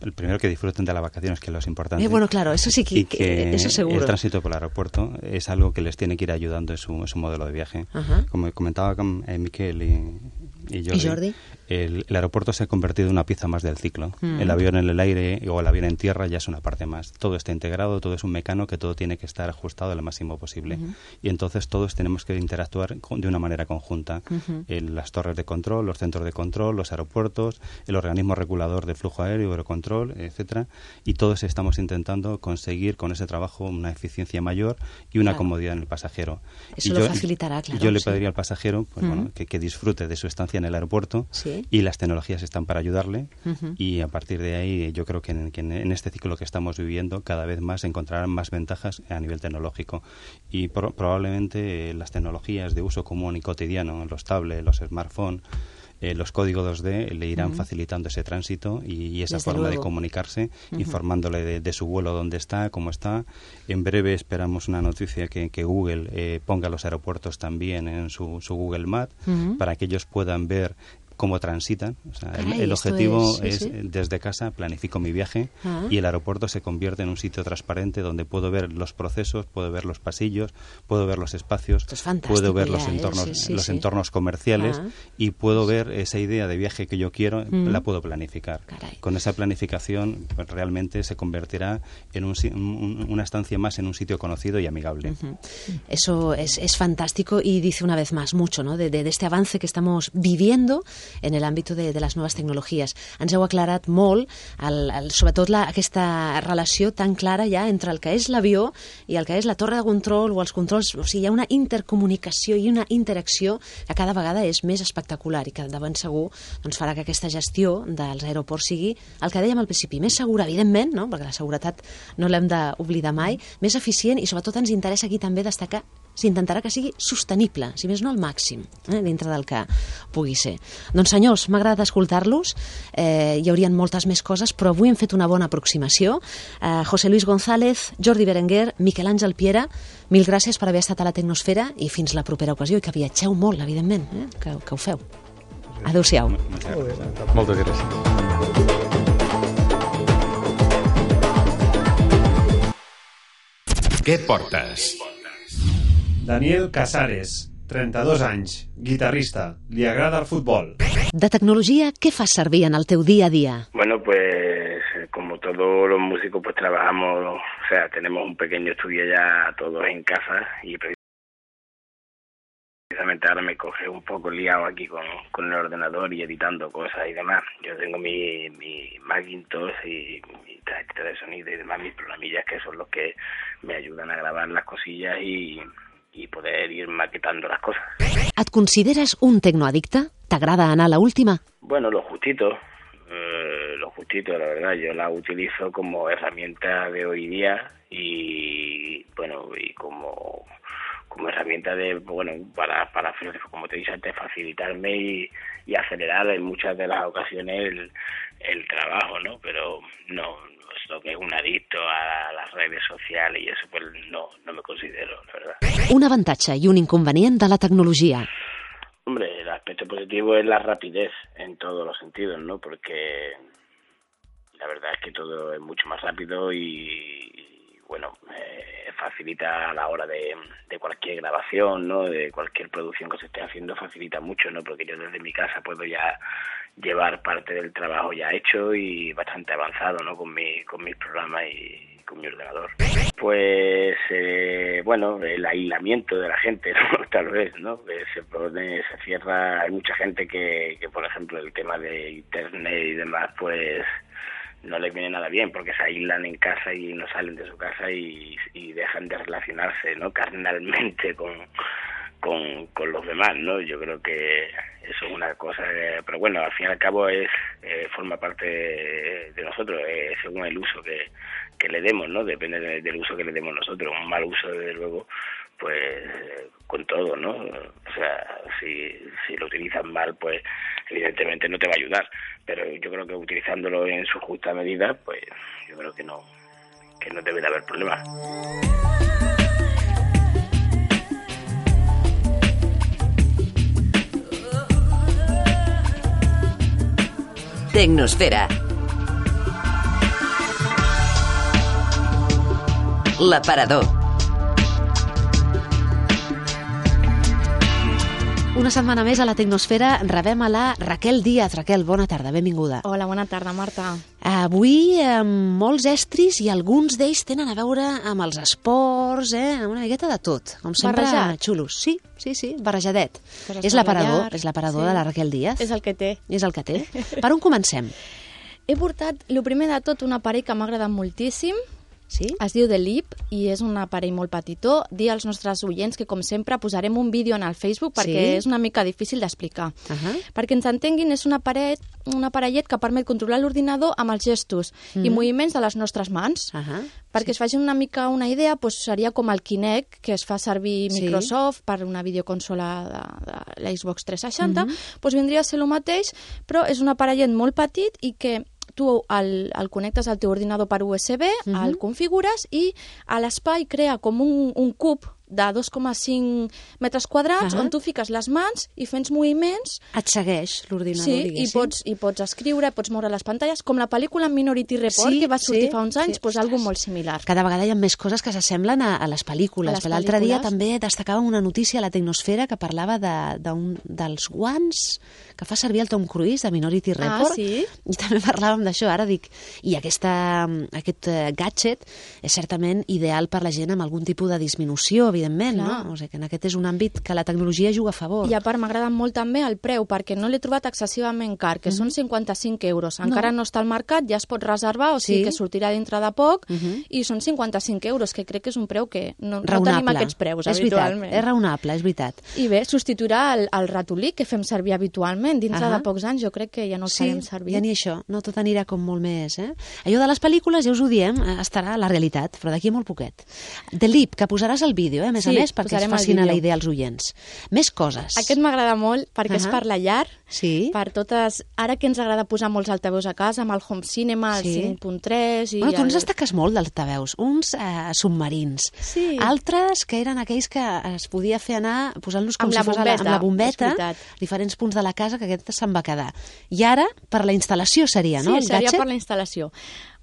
F: el primero que disfruten de las vacaciones, que es lo importante.
B: Bueno, claro, eso sí que eso seguro.
F: El tránsito por el aeropuerto es algo que les tiene que ir ayudando en su modelo de viaje. Como comentaba Miquel y Jordi, el aeropuerto se ha convertido en una pieza más del ciclo. El avión en el aire o el avión en tierra ya es una parte más. Todo está integrado, todo es un mecano que todo tiene que estar ajustado lo máximo posible. Y entonces todos tenemos que interactuar de una manera conjunta. Las torres de control, los centros de control, los aeropuertos, el organismo regulador de flujo aéreo, Eurocontrol, etcétera. Y todos estamos intentando conseguir con ese trabajo una eficiencia mayor y una comodidad en el pasajero.
B: Eso lo facilitará, claro.
F: Yo le pediría al pasajero que disfrute de su estancia en el aeropuerto y las tecnologías están para ayudarle y a partir de ahí yo creo que en este ciclo que estamos viviendo cada vez más encontrarán más ventajas a nivel tecnológico y probablemente las tecnologías de uso común y cotidiano, los tablets, los smartphones, los códigos 2D le irán facilitando ese tránsito y esa forma de comunicarse, informándole de su vuelo, dónde está, cómo está. En breve esperamos una noticia que Google ponga los aeropuertos también en su Google Maps para que ellos puedan ver cómo transitan. O sea, el objetivo es desde casa planifico mi viaje y el aeropuerto se convierte en un sitio transparente donde puedo ver los procesos, puedo ver los pasillos, puedo ver los espacios, puedo ver los entornos comerciales y puedo ver esa idea de viaje que yo quiero, la puedo planificar. Con esa planificación pues, realmente se convertirá en una estancia más en un sitio conocido y amigable.
B: Eso es fantástico y dice una vez más mucho, ¿no? de este avance que estamos viviendo en el ámbito de las nuevas tecnologies. Ens heu aclarat molt, sobretot aquesta relació tan clara ja entre el que és l'avió i el que és la torre de control o els controls. O sigui, hi ha una intercomunicació i una interacció que cada vegada és més espectacular i que de ben segur farà que aquesta gestió dels aeroports sigui el que dèiem al principi, més segura, evidentment, no? Perquè la seguretat no l'hem d'oblidar mai, més eficient i sobretot ens interessa aquí també destacar, s'intentarà que sigui sostenible, si més no al màxim, dintre del que pugui ser. Doncs senyors, m'ha agradat escoltar-los, hi haurien moltes més coses, però avui hem fet una bona aproximació. José Luis González, Jordi Berenguer, Miquel Àngel Piera, mil gràcies per haver estat a la Tecnosfera i fins la propera ocasió, i que viatgeu molt, evidentment, que ho feu. Adéu-siau.
H: Moltes gràcies.
A: Què portes?
I: Daniel Casares, 32 anys, guitarrista, li agrada el futbol.
B: De tecnologia, què fas servir en el teu dia a dia?
J: Bueno, pues como todos los músicos, pues trabajamos, o sea, tenemos un pequeño estudio ya todos en casa y precisamente ahora me coge un poco liado aquí con el ordenador y editando cosas y demás. Yo tengo mi Macintosh y mi tarjeta de sonido y demás, mis programillas que son los que me ayudan a grabar las cosillas y poder ir maquetando las cosas.
B: Et consideres un tecnoaddicte? T'agrada anar a la última?
J: Bueno, lo justito, la verdad. Yo la utilizo como herramienta de hoy día y, bueno, y como herramienta de, bueno, para como te dije antes, facilitarme y acelerar en muchas de las ocasiones el trabajo, ¿no? Pero no lo que es un adicto a las redes sociales y eso, pues no me considero, la verdad.
B: Un avantatge i un inconvenient de la tecnologia.
J: Hombre, el aspecto positivo es la rapidez en todos los sentidos, ¿no? Porque la verdad es que todo es mucho más rápido y bueno, facilita a la hora de cualquier grabación, ¿no? De cualquier producción que se esté haciendo, facilita mucho, ¿no? Porque yo desde mi casa puedo ya llevar parte del trabajo ya hecho y bastante avanzado, ¿no? Con mis programas y con mi ordenador. Pues, bueno, el aislamiento de la gente, ¿no? Tal vez, ¿no? Se cierra, hay mucha gente que, por ejemplo, el tema de internet y demás, pues no les viene nada bien porque se aíslan en casa y no salen de su casa y dejan de relacionarse, ¿no? Carnalmente con los demás, ¿no? Yo creo que eso es una cosa, pero bueno, al fin y al cabo forma parte de nosotros, según el uso que le demos, ¿no? Depende del uso que le demos nosotros. Un mal uso, desde luego, pues con todo, ¿no? O sea, si lo utilizas mal, pues evidentemente no te va a ayudar, pero yo creo que utilizándolo en su justa medida, pues yo creo que no debe de haber problema.
C: Tecnosfera. L'aparador.
B: Una setmana més a la Tecnosfera rebem a la Raquel Díaz. Raquel, bona tarda, benvinguda.
K: Hola, bona tarda, Marta.
B: Avui molts estris i alguns d'ells tenen a veure amb els esports, una miqueta de tot. Com sempre, xulos. Sí, barrejadet. És l'aparador de la Raquel Díaz.
K: És el que té.
B: És el que té. Per on comencem?
K: He portat, el primer de tot, un aparell que m'ha agradat moltíssim.
B: Sí?
K: Es diu The Leap i és un aparell molt petitó. Dir als nostres oients que, com sempre, posarem un vídeo en el Facebook perquè és una mica difícil d'explicar. Perquè ens entenguin, és un aparellet que permet controlar l'ordinador amb els gestos i moviments de les nostres mans. Perquè es facin una mica una idea, seria com el Kinect, que es fa servir Microsoft per una videoconsola de la Xbox 360. Vindria a ser el mateix, però és un aparellet molt petit i que tu el connectes al teu ordinador per USB, el configures i a l'espai crea com un cub de 2,5 metres quadrats on tu fiques les mans i fents moviments.
B: Et segueix l'ordinador,
K: diguéssim. Sí, i pots escriure, pots moure les pantalles, com la pel·lícula Minority Report, que va sortir fa uns anys, algo molt similar.
B: Cada vegada hi ha més coses que s'assemblen a les pel·lícules. L'altre dia també destacàvem una notícia a la Tecnosfera que parlava dels guants que fa servir el Tom Cruise de Minority Report. I també parlàvem d'això. Ara dic, i aquest gadget és certament ideal per la gent amb algun tipus de disminució, evidentment, no? O sigui que en aquest és un àmbit que la tecnologia juga a favor.
K: I a part m'agrada molt també el preu, perquè no l'he trobat excessivament car, que són 55 euros. Encara no està al mercat, ja es pot reservar, o sigui que sortirà dintre de poc, i són 55 euros, que crec que és un preu que no tenim aquests preus habitualment.
B: És raonable, és veritat.
K: I bé, substituirà el ratolí que fem servir habitualment. Dintre de pocs anys jo crec que ja no el farem servir.
B: Sí, ja ni això, no, tot anirà com molt més, Allò de les pel·lícules, ja us ho diem, estarà a la realitat, però d'aquí molt poquet. The Leap, que posaràs el vídeo, a més a més, perquè es facin a la idea als oients. Més coses.
K: Aquest m'agrada molt, perquè és per la llar, per totes... Ara que ens agrada posar molts altaveus a casa, amb el Home Cinema, el 5.3...
B: Bueno, tu ens destaques molt d'altaveus. Uns submarins. Altres que eren aquells que es podia fer anar posant-los com si fos amb la bombeta, a diferents punts de la casa, que aquest se'n va quedar. I ara, per la instal·lació seria, no?
K: Sí, seria per la instal·lació.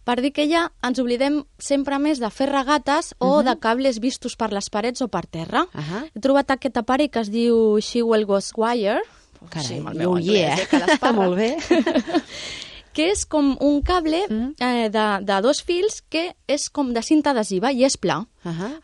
K: Per dir que ja ens oblidem sempre més de fer regates o de cables vistos per les parets o per terra. He trobat aquest aparell que es diu Shewell Ghostwire.
B: Carai, molt bé.
K: Que és com un cable de 2 fils que és com de cinta adhesiva i és pla.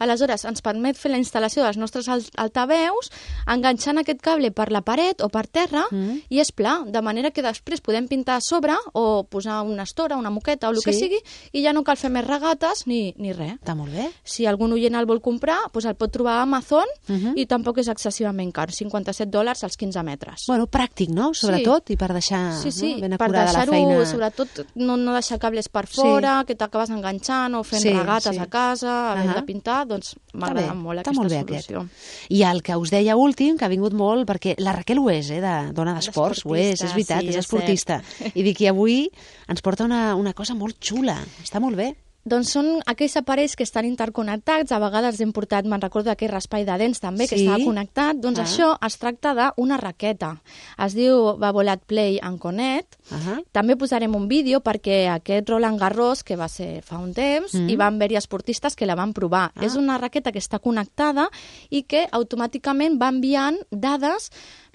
K: Aleshores, ens permet fer la instal·lació dels nostres altaveus enganxant aquest cable per la paret o per terra i és pla, de manera que després podem pintar a sobre o posar una estora, una moqueta o el que sigui i ja no cal fer més regates ni res.
B: Està molt bé.
K: Si algun oient el vol comprar, doncs el pot trobar a Amazon i tampoc és excessivament car, $57 als 15 metres.
B: Bueno, pràctic, no? Sobretot, i per deixar ben acurada la feina.
K: Sobretot no deixar cables per fora, que t'acabes enganxant o fent regates a casa, havent de pintar, doncs m'agrada molt aquesta solució.
B: I el que us deia últim, que ha vingut molt, perquè la Raquel ho és, de dona d'esports, ho és veritat, és esportista. I dic que avui ens porta una cosa molt xula, està molt bé.
K: Doncs són aquells aparells que estan interconnectats, a vegades hem portat, me'n recordo d'aquell raspall de dents també, que estava connectat, doncs això es tracta d'una raqueta. Es diu Babolat Play and Connect. També posarem un vídeo perquè aquest Roland Garros, que va ser fa un temps, hi van haver-hi esportistes que la van provar. És una raqueta que està connectada i que automàticament va enviant dades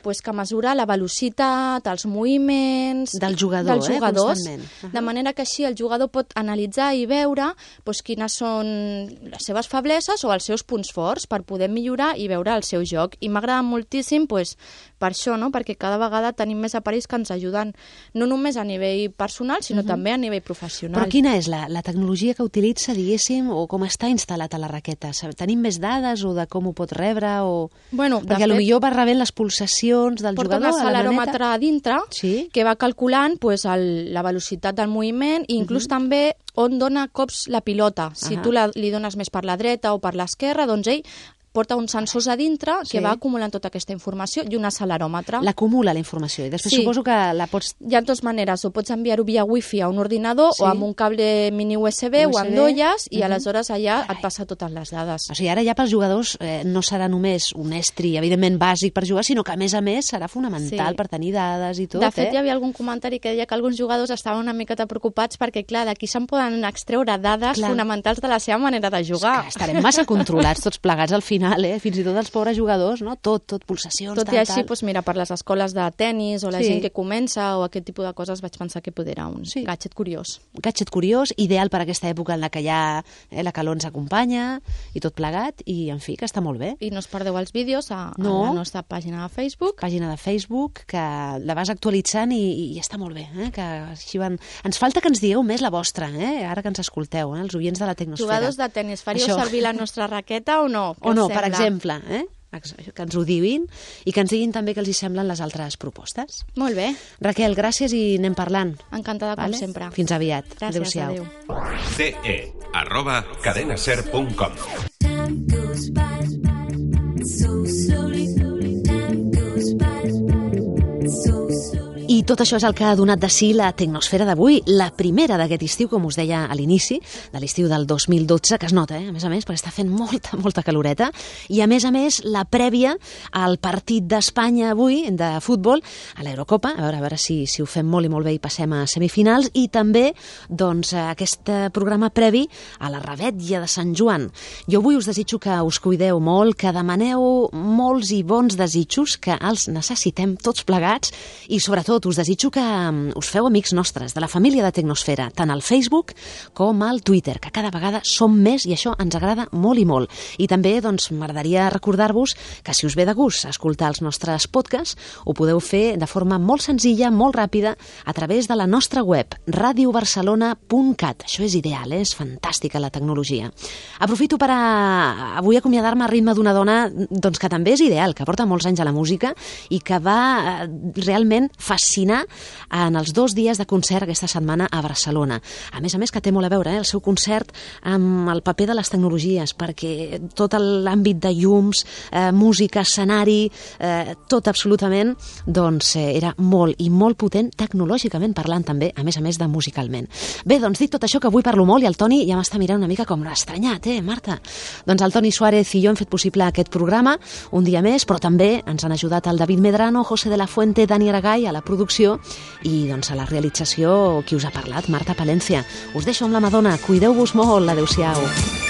K: que mesura la velocitat, els moviments...
B: Del jugador,
K: constantment. De manera que així el jugador pot analitzar i veure quines són les seves febleses o els seus punts forts per poder millorar i veure el seu joc. I m'agrada moltíssim per això, perquè cada vegada tenim més aparells que ens ajuden no només a nivell personal, sinó també a nivell professional.
B: Però quina és la tecnologia que utilitza, diguéssim, o com està instal·lat a la raqueta? Tenim més dades o de com ho pot rebre? Perquè potser va rebent les pulsacions del
K: jugador, porta un acceleròmetre a dintre que va calculant la velocitat del moviment i inclús també on dona cops la pilota. Si tu li dones més per la dreta o per l'esquerra, doncs ell porta uns sensors a dintre que va acumulant tota aquesta informació i un acceleròmetre.
B: L'acumula, la informació, i després suposo que la pots...
K: Hi ha 2 maneres, o pots enviar-ho via wifi a un ordinador o amb un cable mini USB o amb dolles i aleshores allà et passa totes les dades.
B: O sigui, ara ja pels jugadors no serà només un estri, evidentment bàsic per jugar, sinó que a més serà fonamental per tenir dades i tot.
K: De fet, hi havia algun comentari que deia que alguns jugadors estaven una miqueta preocupats perquè, clar, d'aquí se'n poden extreure dades fonamentals de la seva manera de jugar.
B: Estarem massa controlats tots plegats al final, fins i tot els pobres jugadors, no? Tot pulsacions,
K: tot i així, mira, per les escoles de tennis o la gent que comença o aquest tipus de coses vaig pensar que poder era un gadget curiós.
B: Un gadget curiós, ideal per aquesta època en la que ja la calor ens acompanya i tot plegat, i en fi, que està molt bé.
K: I no us perdeu els vídeos a la nostra pàgina de Facebook.
B: Pàgina de Facebook, que la vas actualitzant i està molt bé, que així van... Ens falta que ens digueu més la vostra, ara que ens escolteu, els oients de la Tecnosfera.
K: Jugadors de tennis, faríeu servir la nostra raqueta o no?
B: O no, per exemple, que ens ho diguin i que ens diguin també què els hi semblen les altres propostes.
K: Molt bé.
B: Raquel, gràcies i anem parlant.
K: Encantada com sempre.
B: Fins aviat.
K: Gràcies, adéu.
A: ce@cadenaser.com.
B: I tot això és el que ha donat de si la Tecnosfera d'avui, la primera d'aquest estiu, com us deia a l'inici, de l'estiu del 2012, que es nota, a més, perquè està fent molta caloreta, i a més, la prèvia al partit d'Espanya avui, de futbol, a l'Eurocopa, a veure si ho fem molt i molt bé i passem a semifinals, i també, doncs, aquest programa previ a la Revetlla de Sant Joan. Jo avui us desitjo que us cuideu molt, que demaneu molts i bons desitjos, que els necessitem tots plegats, i sobretot us us desitjo que us feu amics nostres, de la família de Tecnosfera, tant al Facebook com al Twitter, que cada vegada som més i això ens agrada molt i molt. I també doncs, m'agradaria recordar-vos que si us ve de gust escoltar els nostres podcasts, ho podeu fer de forma molt senzilla, molt ràpida, a través de la nostra web, radiobarcelona.cat. Això és ideal, és fantàstica la tecnologia. Aprofito per avui acomiadar-me a ritme d'una dona doncs, que també és ideal, que porta molts anys a la música i que va realment fascinar en els 2 dies de concert aquesta setmana a Barcelona. A més que té molt a veure el seu concert amb el paper de les tecnologies, perquè tot l'àmbit de llums, música, escenari, tot absolutament, doncs era molt i molt potent, tecnològicament parlant també, a més de musicalment. Bé, doncs dit tot això que avui parlo molt i el Toni ja m'està mirant una mica com estranyat, Marta? Doncs el Toni Suárez i jo hem fet possible aquest programa un dia més, però també ens han ajudat el David Medrano, José de la Fuente, Dani Aragay a la producció i doncs a la realització qui us ha parlat, Marta Palencia. Us deixo amb la Madonna, cuideu-vos molt, adeu-siau.